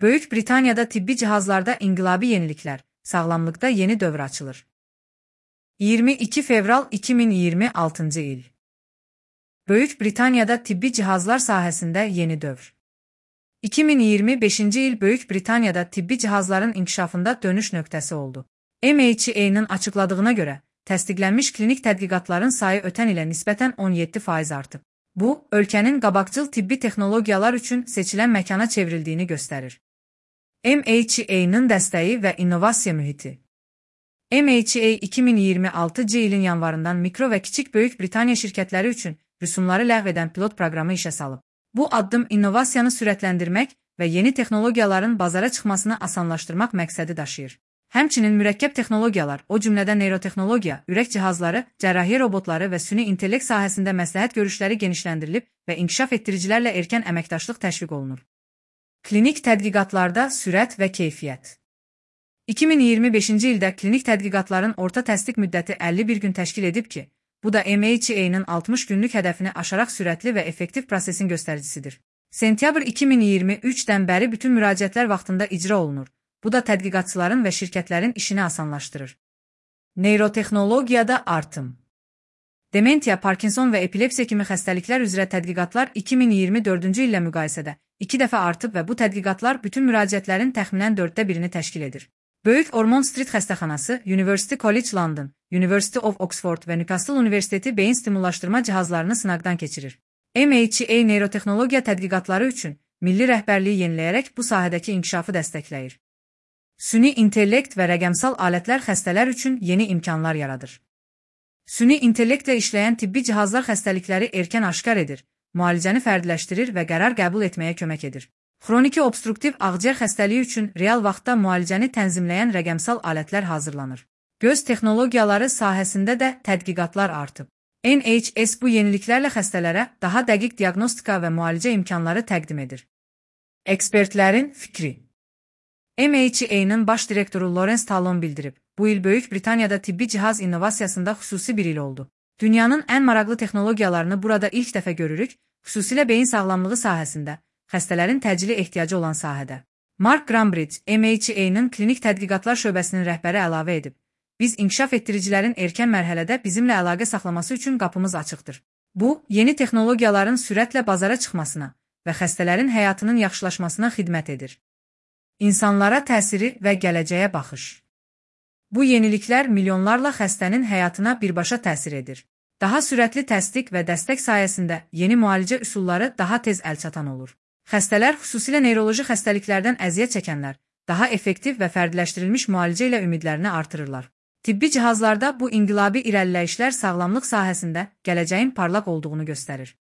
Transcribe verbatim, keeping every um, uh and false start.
Böyük Britaniyada tibbi cihazlarda inqilabi yeniliklər, sağlamlıqda yeni dövr açılır. iyirmi iki fevral iki min iyirmi altıncı il. Böyük Britaniyada tibbi cihazlar sahəsində yeni dövr. iki min iyirmi beşinci il Böyük Britaniyada tibbi cihazların inkişafında dönüş nöqtəsi oldu. M H A'nın açıqladığına görə, təsdiqlənmiş klinik tədqiqatların sayı ötən ilə nisbətən on yeddi faiz artıb. Bu, ölkənin qabaqcıl tibbi texnologiyalar üçün seçilən məkana çevrildiyini göstərir. M H A'nın dəstəyi və innovasiya mühiti. M H A iki min iyirmi altıncı ilin yanvarından mikro və kiçik Böyük Britaniya şirkətləri üçün rüsumları ləğv edən pilot proqramı işə salıb. Bu addım innovasiyanı sürətləndirmək və yeni texnologiyaların bazara çıxmasını asanlaşdırmaq məqsədi daşıyır. Həmçinin mürəkkəb texnologiyalar, o cümlədən neyrotexnologiya, ürək cihazları, cərrahiyyə robotları və süni intellekt sahəsində məsləhət görüşləri genişləndirilib və inkişaf etdiricilərlə erkən əməkdaşlıq təşviq olunur. Klinik tədqiqatlarda sürət və keyfiyyət. iki min iyirmi beşinci ildə klinik tədqiqatların orta təsdiq müddəti əlli bir gün təşkil edib ki, bu da M H A'nın altmış günlük hədəfini aşaraq sürətli və effektiv prosesin göstəricisidir. Sentyabr iki min iyirmi üçdən bəri bütün müraciətlər vaxtında icra olunur. Bu da tədqiqatçıların və şirkətlərin işini asanlaşdırır. Neyrotexnologiyada artım. Dementiya, Parkinson və epilepsiya kimi xəstəliklər üzrə tədqiqatlar iki min iyirmi dördüncü illə müqayisədə iki dəfə artıb və bu tədqiqatlar bütün müraciətlərin təxminən dörddə birini təşkil edir. Böyük Ormond Street xəstəxanası, University College London, University of Oxford və Newcastle Universiteti beyin stimullaşdırma cihazlarını sınaqdan keçirir. M H A neyrotexnologiya tədqiqatları üçün milli rəhbərliyi yeniləyərək bu sahədəki inkişafı dəstəkləyir. Süni intellekt və rəqəmsal alətlər xəstələr üçün yeni imkanlar yaradır. Süni intellektlə işləyən tibbi cihazlar xəstəlikləri erkən aşkar edir, müalicəni fərdiləşdirir və qərar qəbul etməyə kömək edir. Xroniki obstruktiv ağciyər xəstəliyi üçün real vaxtda müalicəni tənzimləyən rəqəmsal alətlər hazırlanır. Göz texnologiyaları sahəsində də tədqiqatlar artıb. N H S bu yeniliklərlə xəstələrə daha dəqiq diaqnostika və müalicə imkanları təqdim edir. Ekspertlərin fikri. M H A'nın baş direktoru Lawrence Talon bildirib, bu il Böyük Britaniyada tibbi cihaz innovasiyasında xüsusi bir il oldu. Dünyanın ən maraqlı texnologiyalarını burada ilk dəfə görürük, xüsusilə beyin sağlamlığı sahəsində, xəstələrin təcili ehtiyacı olan sahədə. Mark Grambridge, M H A'nın klinik tədqiqatlar şöbəsinin rəhbəri əlavə edib, biz inkişaf etdiricilərin erkən mərhələdə bizimlə əlaqə saxlaması üçün qapımız açıqdır. Bu, yeni texnologiyaların sürətlə bazara çıxmasına və xəstələrin həyatının yaxşılaşmasına xidmət edir. İnsanlara təsiri və gələcəyə baxış. Bu yeniliklər milyonlarla xəstənin həyatına birbaşa təsir edir. Daha sürətli təsdiq və dəstək sayəsində yeni müalicə üsulları daha tez əlçatan olur. Xəstələr, xüsusilə neyroloji xəstəliklərdən əziyyət çəkənlər, daha effektiv və fərdiləşdirilmiş müalicə ilə ümidlərini artırırlar. Tibbi cihazlarda bu inqilabi irəliləyişlər sağlamlıq sahəsində gələcəyin parlaq olduğunu göstərir.